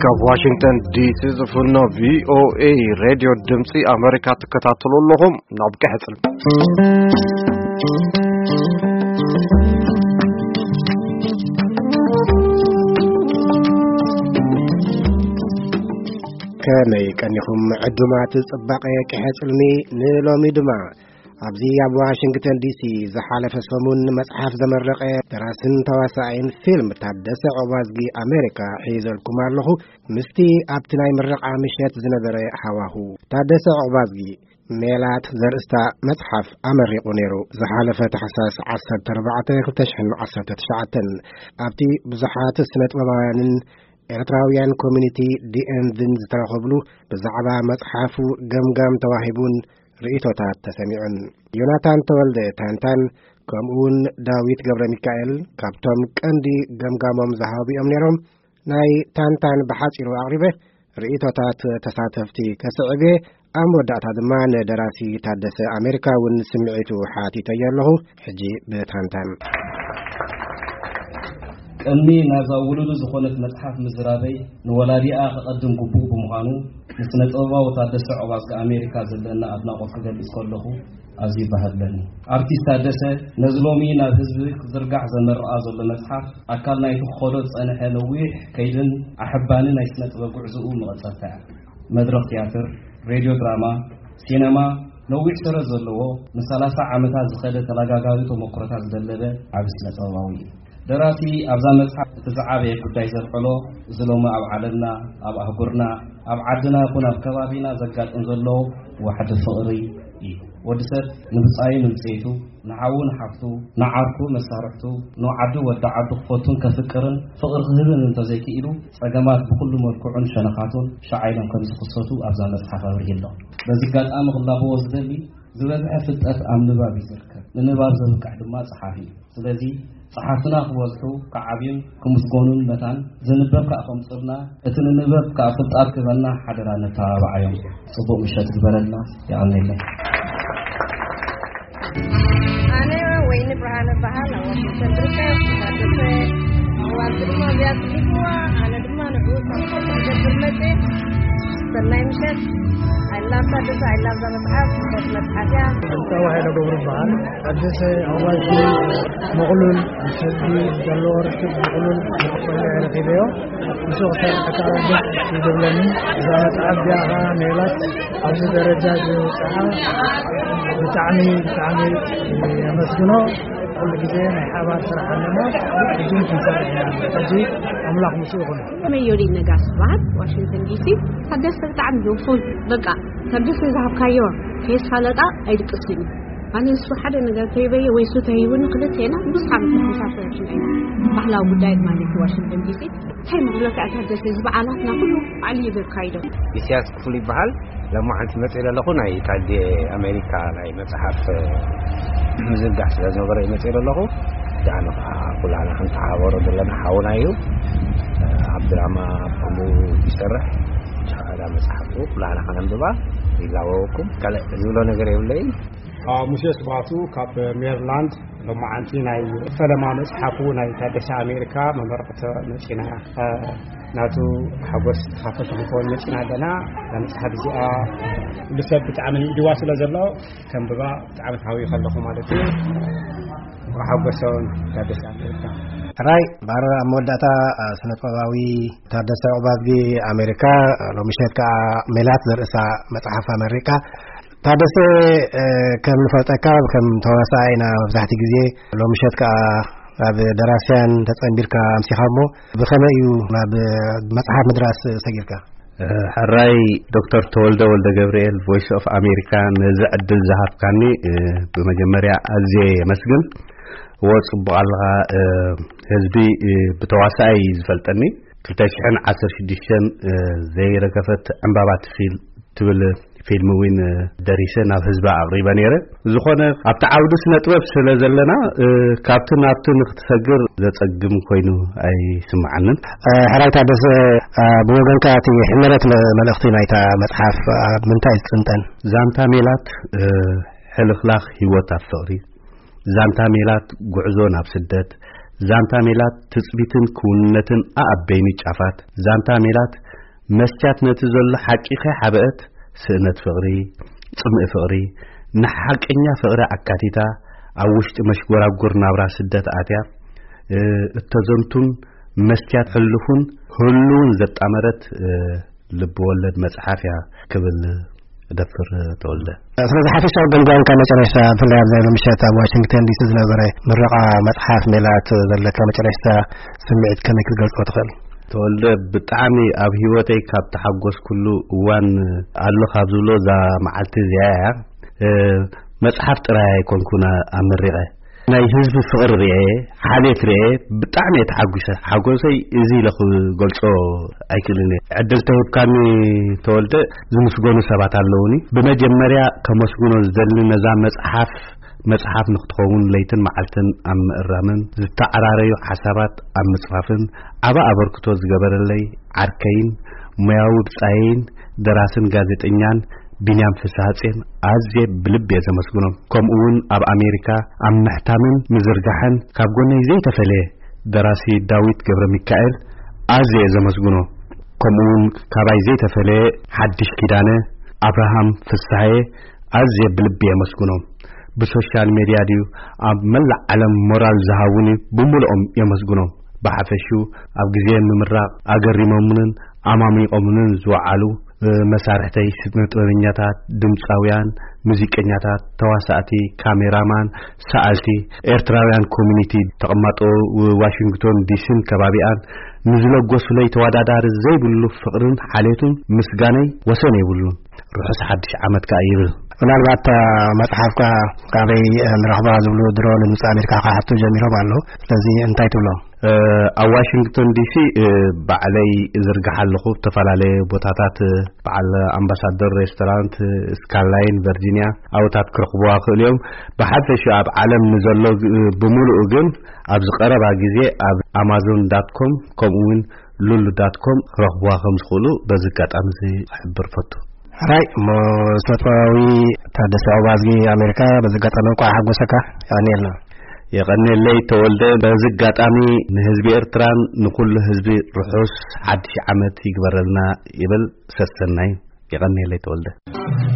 ካብ ዋሽንግተን ዲሲ ዝፍኖ ቪ ኦ ኤ ሬድዮ ድምፂ ኣሜሪካ ትከታተሉ ኣለኹም። ናብ ቀሕፅል። ከመይ ቀኒኹም ዕዱማት ጽባቐ ቀሕፅልኒ? ንሎሚ ድማ ኣብዚ ኣብ ዋሽንግተን ዲሲ ዝሓለፈ ሰሙን መጽሓፍ ዘመረቐ ደራስን ተዋሳኣይን ፊልም ታደሰ ዑቕባዝጊ ኣሜሪካ ሒዘልኩም ኣለኹ። ምስቲ ኣብቲ ናይ ምረቓ ምሸት ዝነበረ ሃዋሁ፣ ታደሰ ዑቕባዝጊ ሜላት ዘርእስታ መጽሓፍ ኣመሪቑ ነይሩ። ዝሓለፈ ታሕሳስ ዓሰርተ ኣርባዕተ ክልተ ሽሕን ዓሰርተ ትሽዓተን ኣብቲ ብዙሓት ስነ ጥበባውያንን ኤርትራውያን ኮሚኒቲ ዲ ኤን ቪን ዝተረኸብሉ ብዛዕባ መጽሓፉ ገምጋም ተዋሂቡን ርእይቶታት ተሰሚዑን። ዮናታን ተወልደ ታንታን ከምኡውን ዳዊት ገብረ ሚካኤል ካብቶም ቀንዲ ገምጋሞም ዝሃቡ እዮም ነይሮም። ናይ ታንታን ብሓጺሩ ኣቕሪበ ርእይቶታት ተሳተፍቲ ከስዕብ እየ። ኣብ መወዳእታ ድማ ንደራሲ ታደሰ ኣሜሪካ እውን ስምዒቱ ሓቲተዮ ኣለኹ። ሕጂ ብታንታን። ቅድሚ ናብዛ ውሉዱ ዝኾነት መጽሓፍ ምዝራበይ ንወላዲኣ ከቐድም ግቡእ ብምዃኑ፣ ንስነ ጥበባዊ ታደሰ ዑቕባዝጊ ኣሜሪካ ዘለና ኣድናቖት ክገልጽ ከለኹ ኣዝዩ ይበሃግለኒ። ኣርቲስት ታደሰ ነዚ ሎሚ ናብ ህዝቢ ክዝርጋሕ ዘመርቓ ዘሎ መጽሓፍ ኣካል ናይቲ ክኸዶ ዝጸንሐ ነዊሕ ከይድን ኣሕባኒ ናይ ስነ ጥበብ ጉዕዞኡ መቐጸልታ እያ። መድረኽ ትያትር፣ ሬድዮ ድራማ፣ ሲነማ ነዊሕ ሰረት ዘለዎ ንሰላሳ ዓመታት ዝኸደ ተለጋጋቢ ተመክሮታት ዝደለበ ዓቢ ስነ ጥበባዊ እዩ። ደራሲ ኣብዛ መጽሓፍ እቲ ዝዓበየ ጉዳይ ዘልዕሎ፣ እዚ ሎሚ ኣብ ዓለምና፣ ኣብ ኣህጉርና፣ ኣብ ዓድና ይኹን ኣብ ከባቢና ዘጋጥም ዘሎ ዋሕዲ ፍቕሪ እዩ። ወዲ ሰብ ንብጻዩ ንብጸይቱ፣ ንሓዉ ንሓፍቱ፣ ንዓርኩ መሳርሕቱ፣ ንዓዱ ወዲ ዓዱ ክፈቱን ከፍቅርን ፍቕሪ ክህብን እንተዘይክኢሉ፣ ጸገማት ብኹሉ መልክዑን ሸነኻቱን ሸዓ ኢሎም ከም ዝኽሰቱ ኣብዛ መጽሓፍ ኣብሪሁ ኣሎ። በዚ ኣጋጣሚ ክላበዎ ዝደሊ፣ ዝበዝሐ ፍልጠት ኣብ ንባብ እዩ ዝርከብ። ንንባብ ዘብቅዕ ድማ ጸሓፊ እዩ። ስለዚ ጸሓፍትና ክበዝሑ፣ ክዓብዩን ክምስገኑን መታን፣ ዝንበብ ከኣ ከምጽልና፣ እቲ ንንበብ ከኣ ፍልጣት ክህበና ሓደራ ነተባብዓዮም። ጽቡቕ ምሸት ግበረልና። የቐንየለይ። ኣነ ወይኒ ብርሃነ በሃል፣ ኣብ ዋሽንግተን ዝርከብ ታደሰ ዑቕባዝጊ ድማ እዚኣ ጽሒፍዋ። ኣነ ድማ ንዕኡ ሳፖርት ክገብር መጽየ። ሰናይ ምሸት። I love ታደሰ፣ I love እዛ መጽሓፍ፣ ጽቡቕ መጽሓፍ እያ። ኣንታዋ ሃይለ ገብሩ በሃል። ታደሰ ዑቕባዝጊ ምቕሉል፣ ምስ ህዝቢ ዘለዎ ርክብ ምቕሉል ኮይኑ ረኺበዮ። ምስኡ ክሰርሕ ከኣ ደስ እዩ ዝብለኒ። እዛ መጽሓፍ እዚኣ ከኣ ሜላት ኣብዚ ደረጃ ዝብጽሓ ብጣዕሚ፣ ብጣዕሚ የመስግኖ። ኩሉ ግዜ ናይ ሓባር ስራሕ ኣለና። ሕጂ ክንሰርሕ ኢና። ሕጂ ኣምላኽ ምስኡ ይኹን። መዮሊን ነጋሽ በሃል፣ ዋሽንግተን ዲሲ። ታደሰ ብጣዕሚ ጆፉል፣ በቃ፣ ታደሰ ዝሃብካዮ ከየስፋለጣ ኣይድቅስን እዩ። ኣነ ንሱ ሓደ ነገር ተሂበየ ወይ እሱ ተሂቡኒ፣ ክልቴና ብዙሕ ዓመት ክንሳፈር ኢና። ባህላዊ ጉዳይ ማለት እዩ፣ ዋሽንግተን ዲሲ። እንታይ ምብለካ፣ ታደሰ፣ እዚ በዓላትና ኩሉ ባዕሉ እዩ ዘካይዶ። ኢሳያስ ክፍሉ ይበሃል። ሎማዓንቲ መጽእ ዘለኹ ናይ ታዴ ኣሜሪካ ናይ መጽሓፍ ምዝርጋሕ ስለ ዝነበረ እዩ መጽእ ዘለኹ። ዳኣነ ከዓ ኩላና ክንተሓባበሮ ዘለና ሓውና እዩ። ኣብ ድራማ ከምኡ ይሰርሕ። ቻላ መጽሓፉ ኩላና ከነንብባ ይላወወኩም። ካልእ ዝብሎ ነገር የብለይን። ኣዎ፣ ሙሴ ስብሃቱ ካብ ሜሪላንድ። ሎማዓንቲ ናይ ፈለማ መጽሓፉ ናይ ታደሰ ኣሜሪካ መመረቕቶ መጺና፣ እ፣ ናቱ ሓጎስ ተኻፈልቲ ክንከውን መጺና ኣለና። እዛ መጽሓፍ እዚኣ ኩሉ ሰብ ብጣዕሚ ንኢድዋ ስለ ዘሎ ከንብባ ብጣዕሚ ተሃውዩ ከለኹ ማለት እዩ። ሓጎሶን ታደሰ ኣሜሪካ። ሕራይ ባረር፣ ኣብ መወዳእታ፣ እ፣ ስነ ጥበባዊ ታደሰ ዑቕባዝጊ ኣሜሪካ፣ እ፣ ሎሚ ምሸት ከኣ ሜላት ዘርእሳ መጽሓፍ ኣመሪካ። ታደሰ፣ እ፣ ከም ንፈልጠካ ከም ተዋሳኣይ ኢና መብዛሕትኡ ግዜ። ሎሚ ምሸት ከኣ ናብ ደራስያን ተጸንቢርካ ኣምሲኻ እሞ ብኸመይ እዩ ናብ መጽሓፍ ምድራስ ሰጊርካ? እ፣ ሕራይ ዶክተር ተወልደ ወልደ ገብርኤል ቮይስ ኦፍ ኣሜሪካ ነዚ ዕድል ዝሃብካኒ፣ እ፣ ብመጀመርያ ኣዝየ የመስግን። እወ፣ ጽቡቕ ኣለኻ። እ፣ ህዝቢ፣ እ፣ ብተዋሳኣይ እዩ ዝፈልጠኒ። ክልተ ሽሕን ዓሰርተ ሽዱሽተን፣ እ፣ ዘይረገፈት ዕምባባ ትፊል ትብል ፊልም እውን፣ እ፣ ደሪሰ ናብ ህዝቢ ኣቕሪበ ነይረ። ዝኾነ ኣብቲ ዓውዲ ስነ ጥበብ ስለ ዘለና፣ እ፣ ካብቲ ናብቲ ንክትሰግር ዘጸግም ኮይኑ ኣይስምዓንን። እ፣ ሕራይ ታደሰ፣ እ፣ ብወገንካ እቲ ሕመረት መ-፣ መልእኽቲ ናይታ መጽሓፍ ኣብ ምንታይ ዝጥንጠን? ዛንታ ሜላት፣ እ፣ ሕልኽላኽ ህይወት ኣብ ፍቕሪ፣ ዛንታ ሜላት ጉዕዞ ናብ ስደት፣ ዛንታ ሜላት ትጽቢትን ክውንነትን ኣኣበይኒ ጫፋት፣ ዛንታ ሜላት መስትያት ነቲ ዘሎ ሓቂ ከይሓበአት፣ ስእነት ፍቕሪ፣ ጽምኢ ፍቕሪ፣ ንሓቀኛ ፍቕሪ ኣካቲታ፣ ኣብ ውሽጢ መሽጎራጎር ናብራ ስደት ኣትያ፣ እ፣ እተዘንቱን መስትያት ሕሉፉን ህሉውን ዘጣመረት፣ እ፣ ልብ ወለድ መጽሓፍ እያ ክብል እደፍር። ተወልደ። ስለዚ ሓፈሻዊ ገምጋምካ መጨረሽታ፣ ብፍላይ ኣብዚ ናይ ሎሚ ምሸት ኣብ ዋሽንግተን ዲሲ ዝነበረ ምረቓ መጽሓፍ ሜላት ዘለካ መጨረሽታ ስምዒት ከመይ ክትገልጾ ትኽእል? ተወልደ፣ ብጣዕሚ ኣብ ህይወተይ ካብ ተሓጎስኩሉ እዋን ኣሎ ካብ ዝብሎ እዛ መዓልቲ እዚኣ እያ። እ፣ መጽሓፍ ጥራይ ኣይኮንኩን ኣመሪቐ። ናይ ህዝቢ ፍቕሪ ርኤ፣ ሓልዮት ርኤ፣ ብጣዕሚ እየ ተሓጒሰ። ሓጎሰይ እዚ ኢለ ክገልጾ ኣይክእልን እየ። ዕድል ተሂብካኒ ተወልደ፣ ዝምስገኑ ሰባት ኣለዉኒ። ብመጀመርያ ከመስግኖ ዝደሊ ነዛ መጽሓፍ፣ መጽሓፍ ንክትኸውን ለይትን መዓልትን ኣብ ምእራምን፣ ዝተዓራረዩ ሓሳባት ኣብ ምጽፋፍን ዓቢ ኣበርክቶ ዝገበረለይ ዓርከይን ሞያዊ ብጻየይን ደራስን ጋዜጠኛን ቢንያም ፍስሃጼን ኣዝየ ብልቢ እየ ዘመስግኖም። ከምኡ እውን ኣብ ኣሜሪካ ኣብ ምሕታምን ምዝርጋሕን ካብ ጎነይ ዘይተፈለየ ደራሲ ዳዊት ገብረ ሚካኤል ኣዝየ እየ ዘመስግኖ። ከምኡ እውን ካባይ ዘይተፈለየ ሓድሽ ኪዳነ፣ ኣብርሃም ፍስሃየ ኣዝየ ብልቢ የመስግኖም። ብሶሻል ሜድያ ድዩ ኣብ መላእ ዓለም ሞራል ዝሃቡኒ ብምልኦም የመስግኖም። ብሓፈሽኡ ኣብ ግዜ ምምራቕ ኣገሪሞምንን ኣማሚቖምንን ዝወዓሉ፣ እ፣ መሳርሕተይ፣ ስነ ጥበበኛታት፣ ድምጻውያን፣ ሙዚቀኛታት፣ ተዋሳእቲ፣ ካሜራማን፣ ሰኣልቲ፣ ኤርትራውያን ኮሚኒቲ፣ ተቐማጦ ዋሽንግቶን ዲሲን ከባቢኣን፣ ንዝለገሱለይ ተወዳዳሪ ዘይብሉ ፍቕርን ሓልዮትን ምስጋነይ ወሰን የብሉን። ርሑስ ሓድሽ ዓመት ከኣ ይብል። ምናልባት፣ እ፣ መጽሓፍካ ካበይ፣ እ፣ ንረኽባ ዝብሉ ድሮ ንድምጺ ኣሜሪካ ክሓቱ ጀሚሮም ኣለዉ። ስለዚ እንታይ ትብሎም? እ፣ ኣብ ዋሽንግቶን ዲሲ፣ እ፣ ባዕለይ እዝርግሕ ኣለኹ። ብዝተፈላለየ ቦታታት፣ እ፣ በዓል ኣምባሳደር ሬስቶራንት፣ እ፣ ስካላይን፣ ቨርጂንያ ኣብታት ክረኽብዋ ክእሉ እዮም። ብሓፈሽኡ ኣብ ዓለም ንዘሎ፣ እ፣ ብምሉኡ ግን ኣብዚ ቀረባ ግዜ ኣብ ኣማዞን ዳት ኮም ከምኡ እውን ሉሉ ዳት ኮም ክረኽብዋ ከም ዝኽእሉ በዚ ኣጋጣሚ እዚ ክሕብር ፈቱ። ሕራይ እሞ፣ ስነጥበባዊ ታደሰ ዑባዝጊ ኣሜሪካ፣ በዚ ኣጋጣሚ እንኳዕ ሓጎሰካ። የቐንየልና። የቐንየለይ ተወልደ። በዚ ኣጋጣሚ ንህዝቢ ኤርትራን ንኹሉ ህዝቢ ርሑስ ሓድሽ ዓመት ይግበረልና ይብል። ሰሰናዩ። የቐንየለይ ተወልደ።